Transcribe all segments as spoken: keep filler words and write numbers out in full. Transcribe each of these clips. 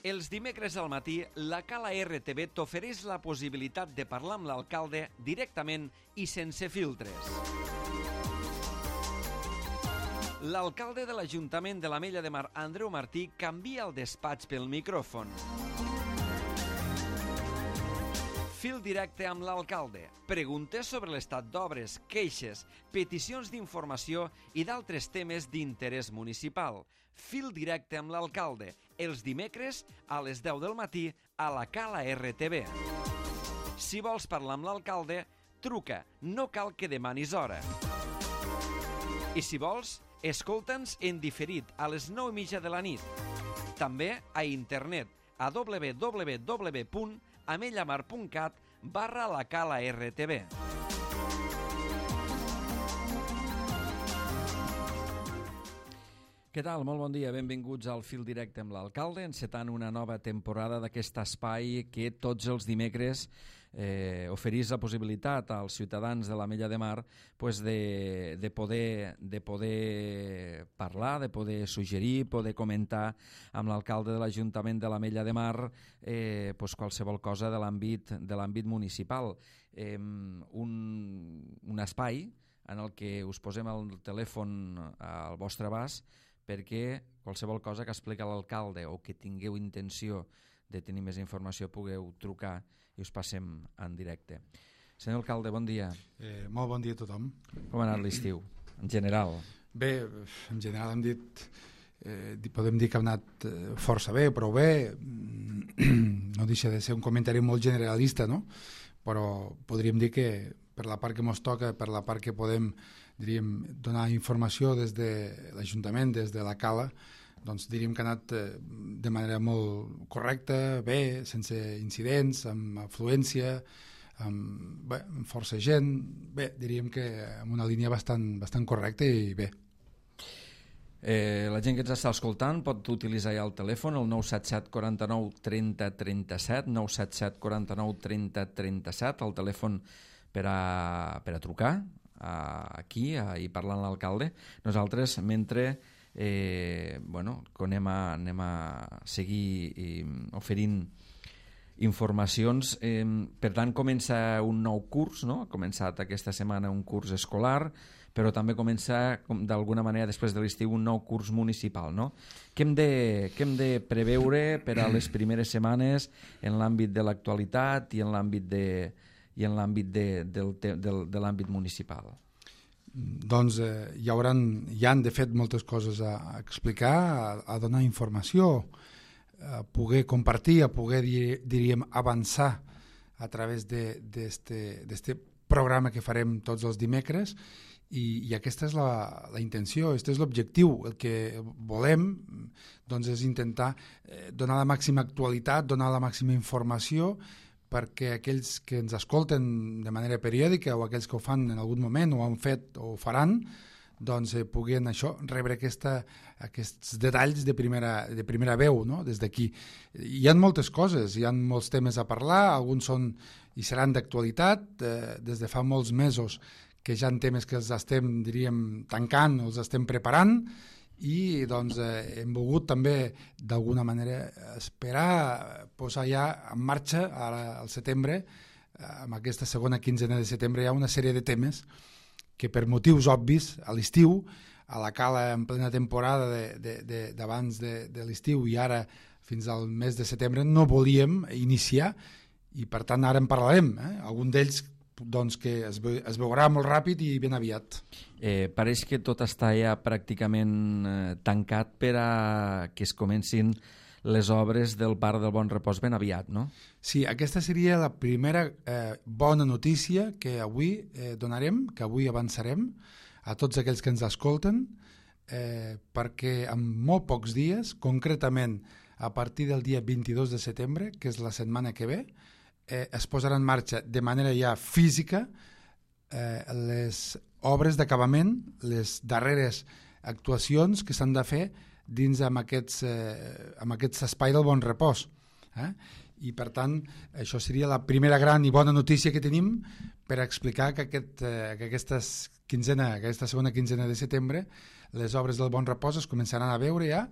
Els dimecres al matí, la Cala R T V t'ofereix la possibilitat de parlar amb l'alcalde directament i sense filtres. L'alcalde de l'Ajuntament de l'Ametlla de Mar, Andreu Martí, canvia el despatx pel micròfon. Fil directe amb l'alcalde. Preguntes sobre l'estat d'obres, queixes, peticions d'informació i d'altres temes d'interès municipal. Fil directe amb l'alcalde. Els dimecres a les deu del matí a la Cala R T V. Si vols parlar amb l'alcalde, truca. No cal que demanis hora. I si vols, escolta'ns en diferit a les nou i mitja de la nit. També a internet a w w w punt amellamar punt cat barra la Cala R T V. Què tal? Molt bon dia. Benvinguts al Fil Directe amb l'alcalde, encetant una nova temporada d'aquest espai que tots els dimecres eh, oferís la possibilitat als ciutadans de l'Ametlla de Mar pues, de, de, poder, de poder parlar, de poder suggerir, poder comentar amb l'alcalde de l'Ajuntament de l'Ametlla de Mar eh, pues, qualsevol cosa de l'àmbit de l'àmbit municipal. Eh, un, un espai en el que us posem el telèfon al vostre abast perquè qualsevol cosa que explica l'alcalde o que tingueu intenció de tenir més informació pugueu trucar i us passem en directe. Senyor alcalde, bon dia. Eh, molt bon dia a tothom. Com ha anat l'estiu, en general? Bé, en general hem dit, eh, podem dir que ha anat força bé, prou bé. No deixa de ser un comentari molt generalista, no? Però podríem dir que per la part que ens toca, per la part que podem diríem, donar informació des de l'Ajuntament, des de la Cala, doncs diríem que ha anat de manera molt correcta, bé, sense incidents, amb afluència, amb, bé, amb força gent, bé, diríem que amb una línia bastant, bastant correcta i bé. Eh, la gent que ens està escoltant pot utilitzar ja el telèfon, el nou set set quaranta nou trenta trenta set, nou set set quaranta nou trenta trenta set, el telèfon per a, per a trucar aquí a, i parlar amb l'alcalde. Nosaltres, mentre eh, bueno, anem, a, anem a seguir eh, oferint informacions, eh, per tant comença un nou curs, no? Ha començat aquesta setmana un curs escolar, però també comença d'alguna manera després de l'estiu un nou curs municipal, no? Què hem de, què hem de preveure per a les primeres setmanes en l'àmbit de l'actualitat i en l'àmbit de i en l'àmbit de, del, del, de l'àmbit municipal? Doncs eh, hi hauran, hi han de fet moltes coses a, a explicar, a, a donar informació, a poder compartir, a poder, diríem, avançar a través d'aquest programa que farem tots els dimecres i, i aquesta és la, la intenció, aquest és l'objectiu. El que volem doncs, és intentar eh, donar la màxima actualitat, donar la màxima informació perquè aquells que ens escolten de manera periòdica o aquells que ho fan en algun moment o han fet o ho faran, doncs eh, puguin això, rebre aquesta, aquests detalls de primera, de primera veu, no? Des d'aquí. Hi ha moltes coses, hi ha molts temes a parlar, alguns són i seran d'actualitat, eh, des de fa molts mesos que ja en temes que els estem, diríem, tancant, els estem preparant, i doncs eh, hem volgut també d'alguna manera esperar posar ja en marxa ara al setembre, eh, amb aquesta segona quinzena de setembre hi ha una sèrie de temes que per motius obvis a l'estiu, a la Cala en plena temporada d'abans de, de, de, de l'estiu i ara fins al mes de setembre no volíem iniciar i per tant ara en parlarem, eh? Algun d'ells doncs que es, ve, es veurà molt ràpid i ben aviat. Eh, pareix que tot està ja pràcticament eh, tancat per a que es comencin les obres del Parc del Bon Repòs ben aviat, no? Sí, aquesta seria la primera eh, bona notícia que avui eh, donarem, que avui avançarem a tots aquells que ens escolten, eh, perquè en molt pocs dies, concretament a partir del dia vint-i-dos de setembre, que és la setmana que ve, Eh, es posarà en marxa de manera ja física eh, les obres d'acabament, les darreres actuacions que s'han de fer dins amb aquests, eh, amb aquests espai del Bon Repòs. Eh? I per tant, això seria la primera gran i bona notícia que tenim per explicar que, aquest, eh, que aquestes quinzena, aquesta segona quinzena de setembre les obres del Bon Repòs es començaran a veure ja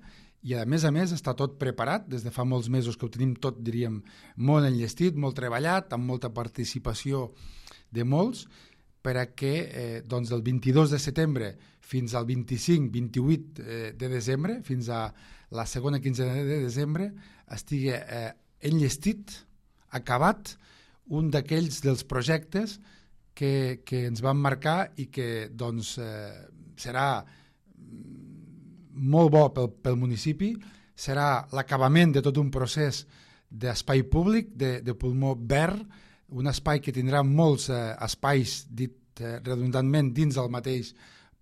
i a més a més està tot preparat, des de fa molts mesos que ho tenim tot, diríem, molt enllestit, molt treballat, amb molta participació de molts, per a que eh, doncs del vint-i-dos de setembre fins al vint-i-cinc vint-i-vuit eh, de desembre, fins a la segona quinzena de desembre, estigui eh, enllestit, acabat, un d'aquells dels projectes que, que ens van marcar i que doncs, eh, serà molt bo pel, pel municipi, serà l'acabament de tot un procés d'espai públic, de, de pulmó verd, un espai que tindrà molts eh, espais, dit eh, redundantment, dins del mateix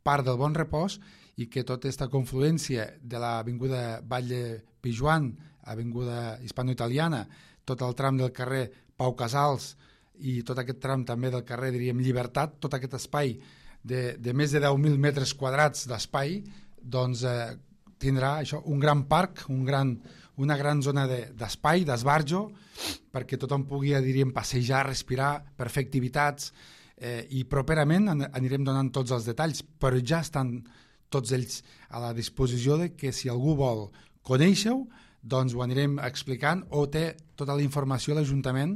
Parc del Bon Repòs, i que tota aquesta confluència de l'avinguda Batlle Pijuan, avinguda hispano-italiana, tot el tram del carrer Pau Casals i tot aquest tram també del carrer, diríem, Llibertat, tot aquest espai de, de més de deu mil metres quadrats d'espai, doncs eh, tindrà això, un gran parc, un gran, una gran zona d'espai, de, d'esbarjo, perquè tothom pugui, diríem, passejar, respirar, per fer activitats, eh, i properament anirem donant tots els detalls, però ja estan tots ells a la disposició de que si algú vol conèixer-ho, doncs ho anirem explicant, o té tota la informació a l'Ajuntament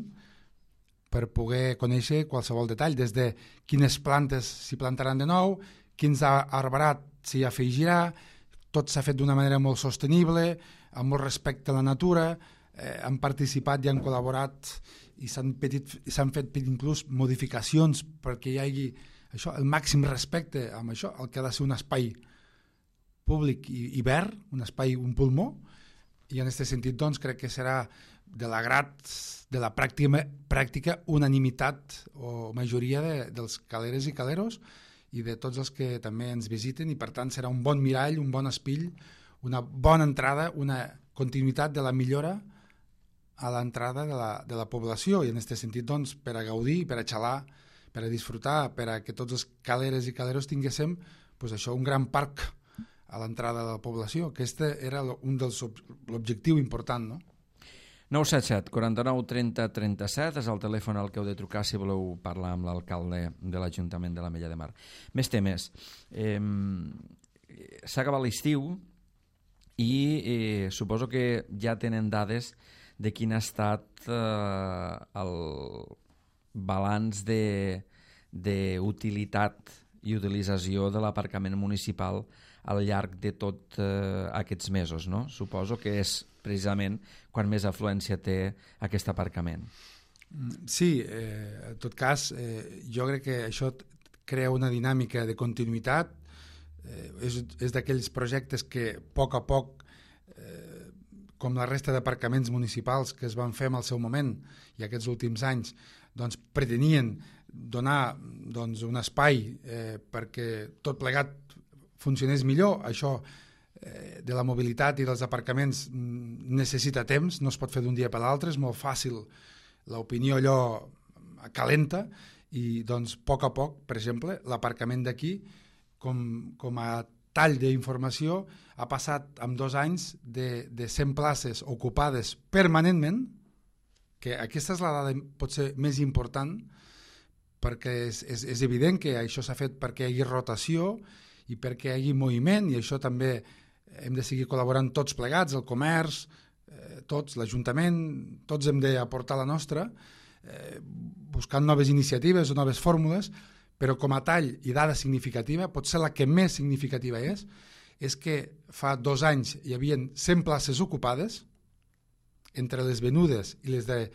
per poder conèixer qualsevol detall, des de quines plantes s'hi plantaran de nou, quins arbrat s'hi afegirà, tot s'ha fet d'una manera molt sostenible, amb molt respecte a la natura, eh, han participat i han col·laborat i s'han fet inclús modificacions perquè hi hagi això, el màxim respecte amb això, el que ha de ser un espai públic i, i verd, un espai, un pulmó, i en aquest sentit doncs, crec que serà de l'agrat de la pràctica, pràctica unanimitat o majoria de, dels caleres i caleros i de tots els que també ens visiten, i per tant serà un bon mirall, un bon espill, una bona entrada, una continuïtat de la millora a l'entrada de, la, de la població, i en aquest sentit doncs, per a gaudir, per a xalar, per a disfrutar, per a que tots els caleres i caleros tinguéssim doncs això, un gran parc a l'entrada de la població, que este era un dels l'objectiu important, no? nou set set, quaranta-nou, trenta, trenta-set és el telèfon al que heu de trucar si voleu parlar amb l'alcalde de l'Ajuntament de l'Ametlla de Mar. Més temes. Eh, S'ha acabat l'estiu i eh, suposo que ja tenen dades de quin ha estat eh, el balanç d'utilitat i utilització de l'aparcament municipal al llarg de tots eh, aquests mesos, no? Suposo que és precisament quan més afluència té aquest aparcament. Sí, eh, en tot cas, eh, jo crec que això crea una dinàmica de continuïtat, eh, és, és d'aquells projectes que a poc a poc, eh, com la resta d'aparcaments municipals que es van fer en el seu moment i aquests últims anys, doncs pretenien donar doncs, un espai eh, perquè tot plegat funcionés millor. Això eh, de la mobilitat i dels aparcaments necessita temps, no es pot fer d'un dia per l'altre, és molt fàcil, l'opinió allò calenta, i doncs a poc a poc, per exemple, l'aparcament d'aquí, com, com a tall d'informació, ha passat en dos anys de, de cent places ocupades permanentment, que aquesta és la dada potser més important, perquè és, és, és evident que això s'ha fet perquè hi hagi rotació i perquè hi hagi moviment, i això també hem de seguir col·laborant tots plegats, el comerç, eh, tots, l'Ajuntament, tots hem d'aportar la nostra, eh, buscant noves iniciatives o noves fórmules, però com a tall i dada significativa, potser la que més significativa és, és que fa dos anys hi havia cent places ocupades, entre les venudes i les de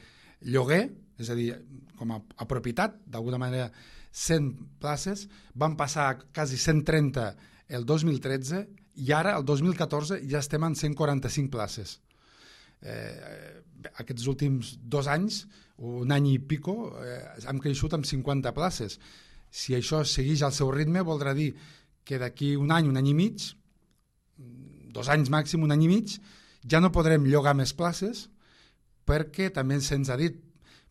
lloguer, és a dir, com a, a propietat, d'alguna manera cent places, van passar a quasi cent trenta el dos mil tretze, i ara, el dos mil catorze, ja estem en cent quaranta-cinc places. Eh, aquests últims dos anys, un any i pico, eh, hem creixut amb cinquanta places. Si això segueix al seu ritme, voldrà dir que d'aquí un any, un any i mig, dos anys màxim, un any i mig, ja no podrem llogar més places, perquè també se'ns ha dit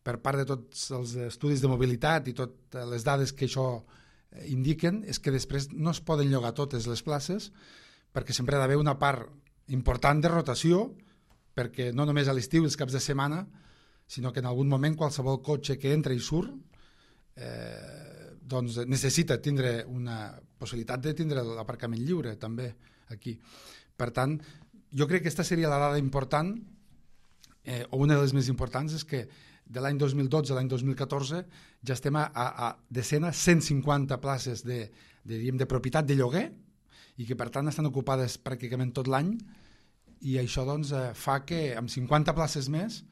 per part de tots els estudis de mobilitat i totes les dades que això indiquen, és que després no es poden llogar totes les places, perquè sempre ha d'haver una part important de rotació, perquè no només a l'estiu i els caps de setmana, sinó que en algun moment qualsevol cotxe que entra i surt eh, doncs necessita tindre una possibilitat de tindre l'aparcament lliure també aquí. Per tant, jo crec que aquesta seria la dada important, eh, o una de les més importants, és que de l'any dos mil dotze a l'any dos mil catorze ja estem a, a, a decena cent cinquanta places de, de, diguem, de propietat de lloguer i que per tant estan ocupades pràcticament tot l'any, i això doncs, eh, fa que amb cinquanta places més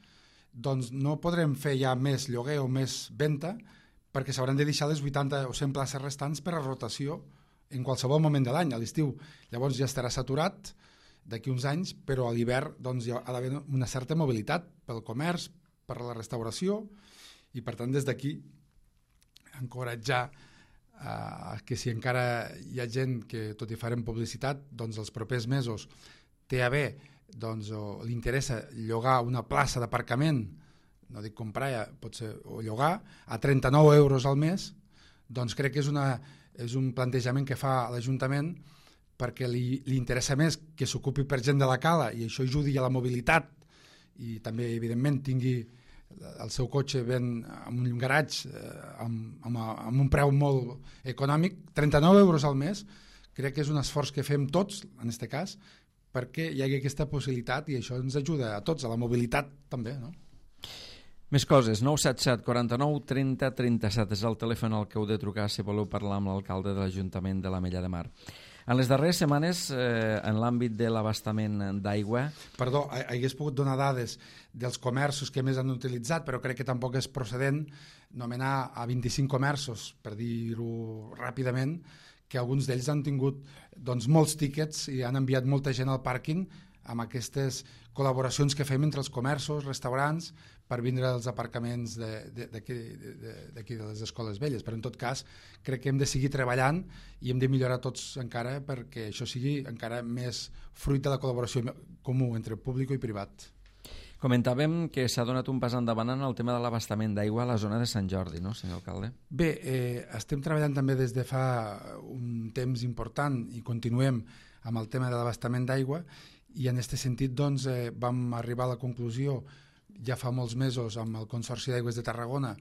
doncs, no podrem fer ja més lloguer o més venda, perquè s'hauran de deixar les vuitanta o cent places restants per a rotació en qualsevol moment de l'any. A l'estiu llavors ja estarà saturat d'aquí uns anys, però a l'hivern doncs, hi ha d'haver una certa mobilitat pel comerç, per la restauració, i per tant des d'aquí encoratjar eh, que si encara hi ha gent que tot i farem publicitat, doncs els propers mesos té a bé, doncs, o li interessa llogar una plaça d'aparcament, no dic comprar, ja, pot ser, o llogar, a trenta-nou euros al mes, doncs crec que és, una, és un plantejament que fa l'Ajuntament perquè li, li interessa més que s'ocupi per gent de la cala i això ajudi a la mobilitat i també, evidentment, tingui el seu cotxe ben en un garatge eh, amb, amb, amb un preu molt econòmic. Trenta-nou euros al mes crec que és un esforç que fem tots, en aquest cas, perquè hi hagi aquesta possibilitat i això ens ajuda a tots, a la mobilitat també, no? Més coses, nou set set quaranta-nou trenta trenta-set és el telèfon al que heu de trucar si voleu parlar amb l'alcalde de l'Ajuntament de l'Ametlla de Mar. En les darreres setmanes, eh, en l'àmbit de l'abastament d'aigua... Perdó, hagués pogut donar dades dels comerços que més han utilitzat, però crec que tampoc és procedent nomenar a vint-i-cinc comerços, per dir-ho ràpidament, que alguns d'ells han tingut doncs, molts tíquets i han enviat molta gent al pàrquing amb aquestes col·laboracions que fem entre els comerços, restaurants, per vindre als aparcaments d'aquí de, de, de, de les escoles velles. Però en tot cas crec que hem de seguir treballant i hem de millorar tots encara perquè això sigui encara més fruit de la col·laboració comú entre públic i privat. Comentàvem que s'ha donat un pas endavant en el tema de l'abastament d'aigua a la zona de Sant Jordi, no, senyor alcalde? Bé, eh, estem treballant també des de fa un temps important i continuem amb el tema de l'abastament d'aigua i en aquest sentit doncs, eh, vam arribar a la conclusió ja fa molts mesos amb el Consorci d'Aigües de Tarragona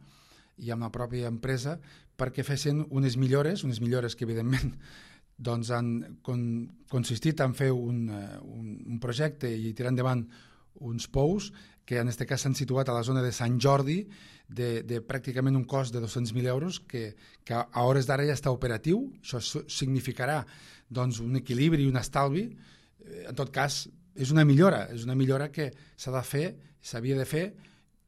i amb la pròpia empresa perquè fessin unes millores, unes millores que evidentment doncs, han con, consistit en fer un, un, un projecte i tirar endavant uns pous que en aquest cas s'han situat a la zona de Sant Jordi de, de pràcticament un cost de dos-cents mil euros que, que a hores d'ara ja està operatiu. Això significarà doncs, un equilibri i un estalvi. En tot cas, és una millora, és una millora que s'ha de fer, s'havia de fer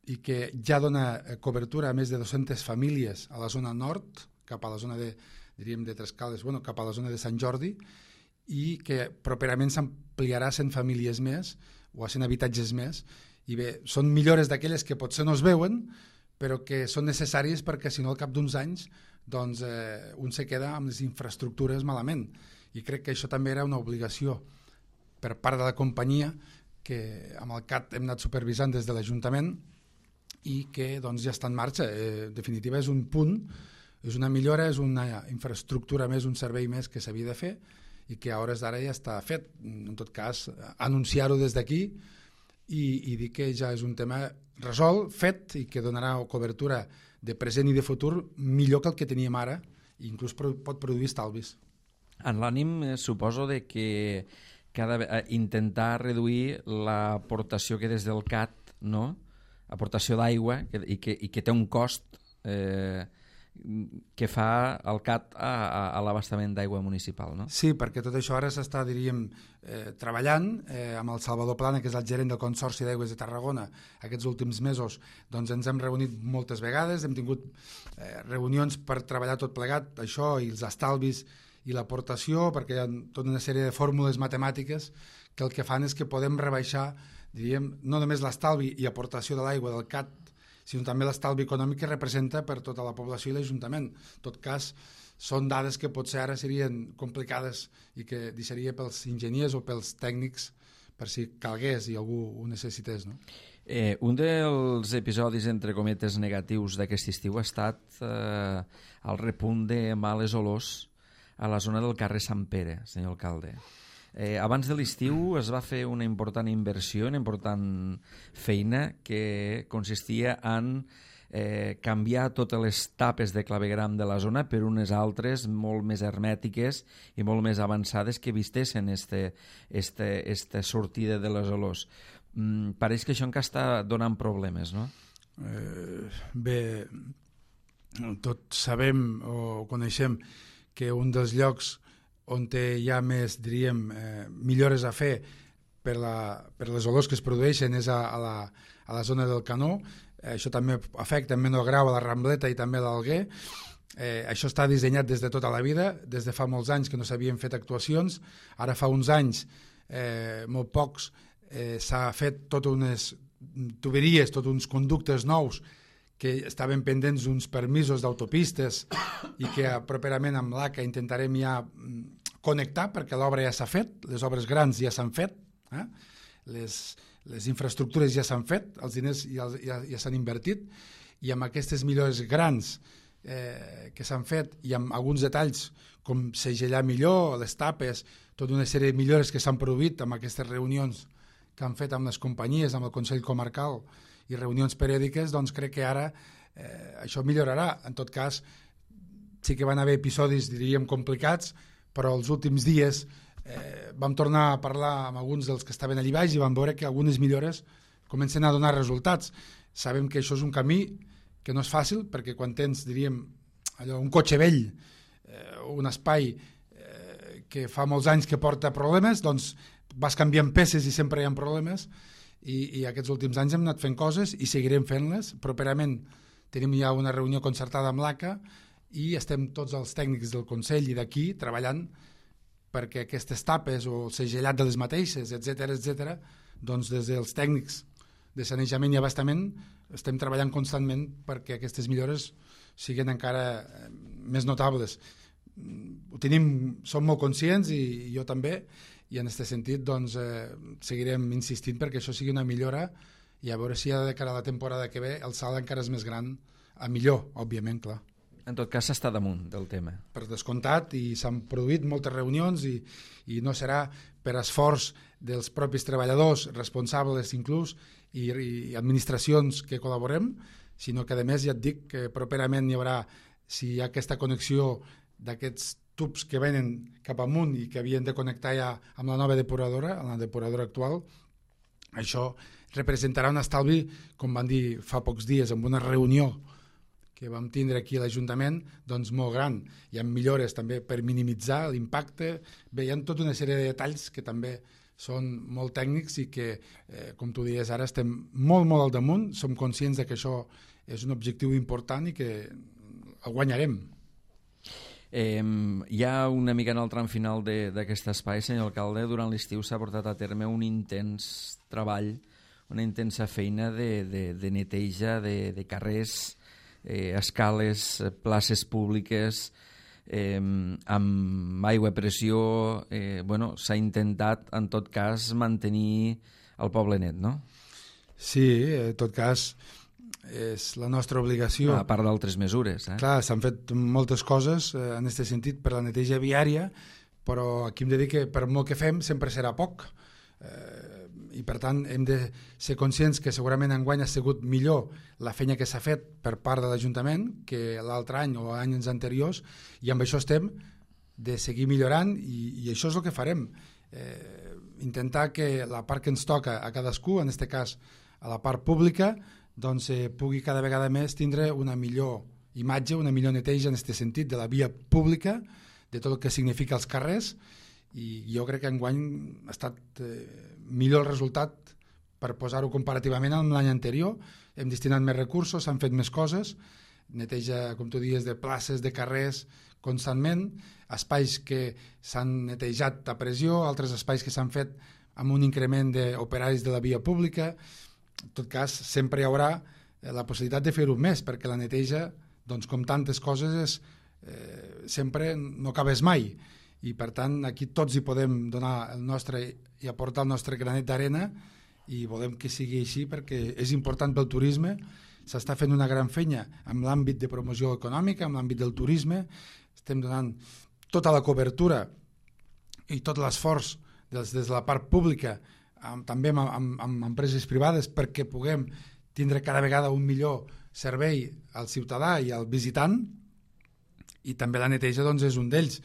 i que ja dona cobertura a més de dues-centes famílies a la zona nord, cap a la zona de, diríem, de Trescales, bueno, cap a la zona de Sant Jordi, i que properament s'ampliarà a cent famílies més o a cent habitatges més. I bé, són millores d'aquelles que potser no es veuen, però que són necessàries perquè si no al cap d'uns anys doncs, eh, un se queda amb les infraestructures malament. I crec que això també era una obligació per part de la companyia que amb el C A T hem anat supervisant des de l'Ajuntament i que doncs, ja està en marxa. Eh, en definitiva és un punt, és una millora, és una infraestructura més, un servei més que s'havia de fer i que a hores d'ara ja està fet. En tot cas, anunciar-ho des d'aquí i, i dir que ja és un tema resolt, fet i que donarà cobertura de present i de futur millor que el que teníem ara i inclús pot produir estalvis. En l'ànim eh, suposo de que cada, eh, intentar reduir l'aportació que des del C A T, no? Aportació d'aigua que, i, que, i que té un cost eh, que fa el C A T a, a, a l'abastament d'aigua municipal, no? Sí, perquè tot això ara s'està, diríem, eh, treballant eh, amb el Salvador Plana, que és el gerent del Consorci d'Aigües de Tarragona. Aquests últims mesos doncs, ens hem reunit moltes vegades, hem tingut eh, reunions per treballar tot plegat, això i els estalvis i l'aportació, perquè hi ha tota una sèrie de fórmules matemàtiques que el que fan és que podem rebaixar, diríem, no només l'estalvi i aportació de l'aigua del C A T, sinó també l'estalvi econòmic que representa per tota la població i l'Ajuntament. En tot cas, són dades que potser ara serien complicades i que deixaria pels enginyers o pels tècnics per si calgués i algú ho necessités, no? Eh, un dels episodis, entre cometes, negatius d'aquest estiu ha estat eh, el repunt de males olors a la zona del carrer Sant Pere, senyor alcalde. Eh, abans de l'estiu es va fer una important inversió, una important feina que consistia en eh, canviar totes les tapes de clavegram de la zona per unes altres molt més hermètiques i molt més avançades que vistessin este, este, este sortida de les olors. Mm, pareix que això encara està donant problemes, no? Eh, bé, tots sabem o coneixem que un dels llocs on hi ha més, diríem, eh, millores a fer per, la, per les olors que es produeixen és a, a, la, a la zona del Canó. Eh, això també afecta en menor grau a la Rambleta i també a l'Alguer. Eh, això està dissenyat des de tota la vida, des de fa molts anys que no s'havien fet actuacions. Ara fa uns anys, eh, molt pocs, eh, s'ha fet totes unes tuberies, tots uns conductes nous que estaven pendents d'uns permisos d'autopistes i que properament amb l'A C A intentarem ja connectar perquè l'obra ja s'ha fet, les obres grans ja s'han fet, eh? les, les infraestructures ja s'han fet, els diners ja, ja, ja s'han invertit i amb aquestes millores grans eh, que s'han fet i amb alguns detalls com segellar millor, les tapes, tota una sèrie de millores que s'han produït amb aquestes reunions que han fet amb les companyies, amb el Consell Comarcal i reunions periòdiques, doncs crec que ara eh, això millorarà. En tot cas, sí que van haver episodis, diríem, complicats, però els últims dies eh, vam tornar a parlar amb alguns dels que estaven allà baix i vam veure que algunes millores comencen a donar resultats. Sabem que això és un camí que no és fàcil, perquè quan tens, diríem, allò, un cotxe vell, eh, un espai eh, que fa molts anys que porta problemes, doncs vas canviant peces i sempre hi ha problemes, i, i aquests últims anys hem anat fent coses i seguirem fent-les. Properament tenim ja una reunió concertada amb l'A C A i estem tots els tècnics del Consell i d'aquí treballant perquè aquestes tapes o el segellat de les mateixes, etcètera, etcètera, doncs des dels tècnics de sanejament i abastament estem treballant constantment perquè aquestes millores siguin encara més notables. Ho tenim, som molt conscients i, i jo també, i en aquest sentit doncs, eh, seguirem insistint perquè això sigui una millora i a veure si de cara a la temporada que ve el salt encara és més gran, a millor, òbviament, clar. En tot cas s'està damunt del tema. Per descomptat, i s'han produït moltes reunions i, i no serà per esforç dels propis treballadors, responsables inclús, i, i administracions que col·laborem, sinó que a més ja et dic que properament hi haurà, si hi ha aquesta connexió d'aquests tubs que venen cap amunt i que havien de connectar ja amb la nova depuradora, amb la depuradora actual, això representarà un estalvi, com van dir fa pocs dies en una reunió que vam tindre aquí a l'Ajuntament, doncs molt gran. Hi ha millores també per minimitzar l'impacte. Bé, hi ha tota una sèrie de detalls que també són molt tècnics i que, eh, com tu dies ara, estem molt, molt al damunt. Som conscients de que això és un objectiu important i que el guanyarem. Eh, ja una mica en el tram final d'aquest espai, senyor alcalde, durant l'estiu s'ha portat a terme un intens treball, una intensa feina de, de, de neteja de, de carrers, eh, escales, places públiques, eh, amb aigua a pressió. Eh, bueno, s'ha intentat, en tot cas, mantenir el poble net, no? Sí, en tot cas, és la nostra obligació. A part d'altres mesures. Eh? Clar, s'han fet moltes coses eh, en aquest sentit per la neteja viària, però aquí hem de dir que per molt que fem sempre serà poc. Eh, I per tant hem de ser conscients que segurament enguany ha sigut millor la feina que s'ha fet per part de l'Ajuntament que l'altre any o anys anteriors, i amb això estem de seguir millorant i, i això és el que farem. Eh, intentar que la part que ens toca a cadascú, en aquest cas a la part pública, doncs eh, pugui cada vegada més tindre una millor imatge, una millor neteja en aquest sentit de la via pública, de tot el que significa els carrers, i jo crec que enguany ha estat eh, millor el resultat per posar-ho comparativament amb l'any anterior. Hem destinat més recursos, s'han fet més coses, neteja, com tu dius, de places, de carrers, constantment, espais que s'han netejat a pressió, altres espais que s'han fet amb un increment d'operaris de la via pública. En tot cas, sempre hi haurà la possibilitat de fer-ho més, perquè la neteja, doncs, com tantes coses, és, eh, sempre no acabes mai. I, per tant, aquí tots hi podem donar el nostre i aportar el nostre granet d'arena i volem que sigui així perquè és important pel turisme. S'està fent una gran feina en l'àmbit de promoció econòmica, en l'àmbit del turisme. Estem donant tota la cobertura i tot l'esforç des, des de la part pública, amb, també amb, amb, amb empreses privades, perquè puguem tindre cada vegada un millor servei al ciutadà i al visitant, i també la neteja doncs, és un d'ells.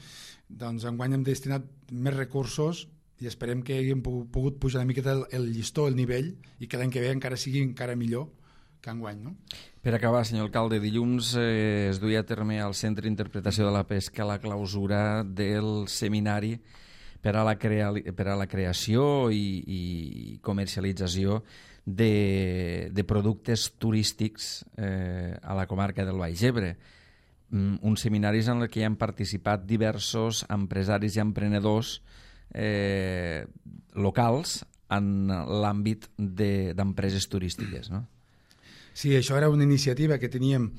Doncs enguany hem destinat més recursos i esperem que haguem pogut pujar una miqueta el, el llistó, el nivell, i que l'any que ve encara sigui encara millor que enguany. No? Per acabar, senyor alcalde, dilluns eh, es duia a terme al Centre d'Interpretació de la Pesca la clausura del seminari per a la, crea per a la creació i, i comercialització de, de productes turístics eh, a la comarca del Baix Ebre. Uns seminaris en què hi han participat diversos empresaris i emprenedors eh, locals en l'àmbit d'empreses turístiques, no? Sí, això era una iniciativa que teníem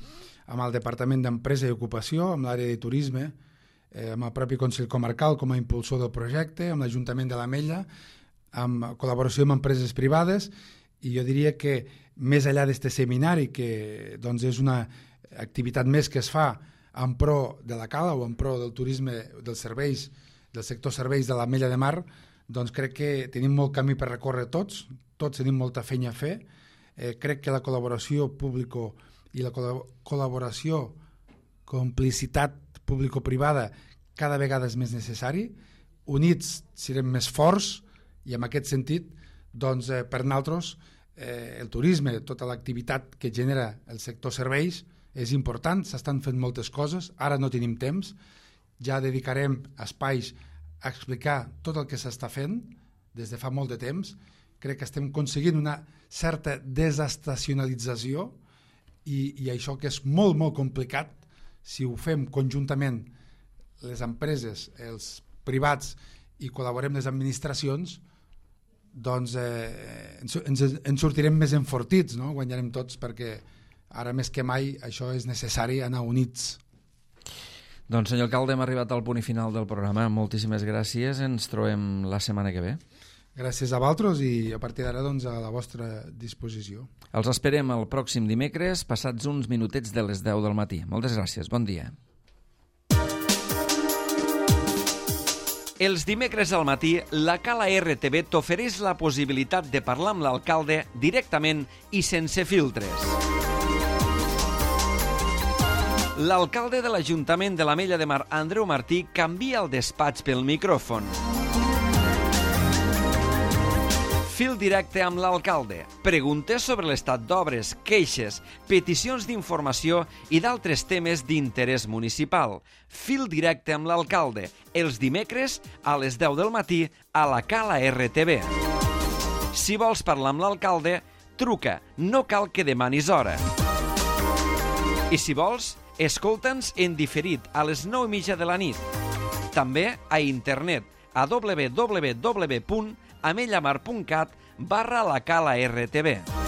amb el Departament d'Empresa i Ocupació, amb l'àrea de turisme, eh, amb el propi Consell Comarcal com a impulsor del projecte, amb l'Ajuntament de l'Ametlla, amb col·laboració amb empreses privades, i jo diria que més enllà d'aquest seminari, que doncs, és una activitat més que es fa en pro de la cala o en pro del turisme, dels serveis, del sector serveis de l'Ametlla de Mar, doncs crec que tenim molt camí per recórrer tots, tots tenim molta feina a fer. Eh, crec que la col·laboració público i la col col·laboració, complicitat público-privada cada vegada és més necessari. Units serem més forts i en aquest sentit, doncs, eh, per nosaltres, eh, el turisme, tota l'activitat que genera el sector serveis, és important, s'estan fent moltes coses, ara no tenim temps, ja dedicarem espais a explicar tot el que s'està fent des de fa molt de temps. Crec que estem aconseguint una certa desestacionalització i, i això que és molt, molt complicat, si ho fem conjuntament les empreses, els privats i col·laborem les administracions, doncs eh, ens, ens, ens sortirem més enfortits, no? Guanyarem tots perquè ara més que mai això és necessari, anar units. Doncs senyor alcalde, hem arribat al punt i final del programa. Moltíssimes gràcies, ens trobem la setmana que ve. Gràcies a vosaltres i a partir d'ara doncs, a la vostra disposició. Els esperem el pròxim dimecres, passats uns minutets de les deu del matí. Moltes gràcies, bon dia. Els dimecres al matí, la Cala R T V t'ofereix la possibilitat de parlar amb l'alcalde directament i sense filtres. L'alcalde de l'Ajuntament de l'Ametlla de Mar, Andreu Martí, canvia el despatx pel micròfon. Fil directe amb l'alcalde. Preguntes sobre l'estat d'obres, queixes, peticions d'informació i d'altres temes d'interès municipal. Fil directe amb l'alcalde. Els dimecres a les deu del matí a la Cala R T V. Si vols parlar amb l'alcalde, truca. No cal que demanis hora. I si vols, escolta'ns en diferit a les nou i mitja de la nit. També a internet a w w w punt amellamar punt cat barra la Cala R T V.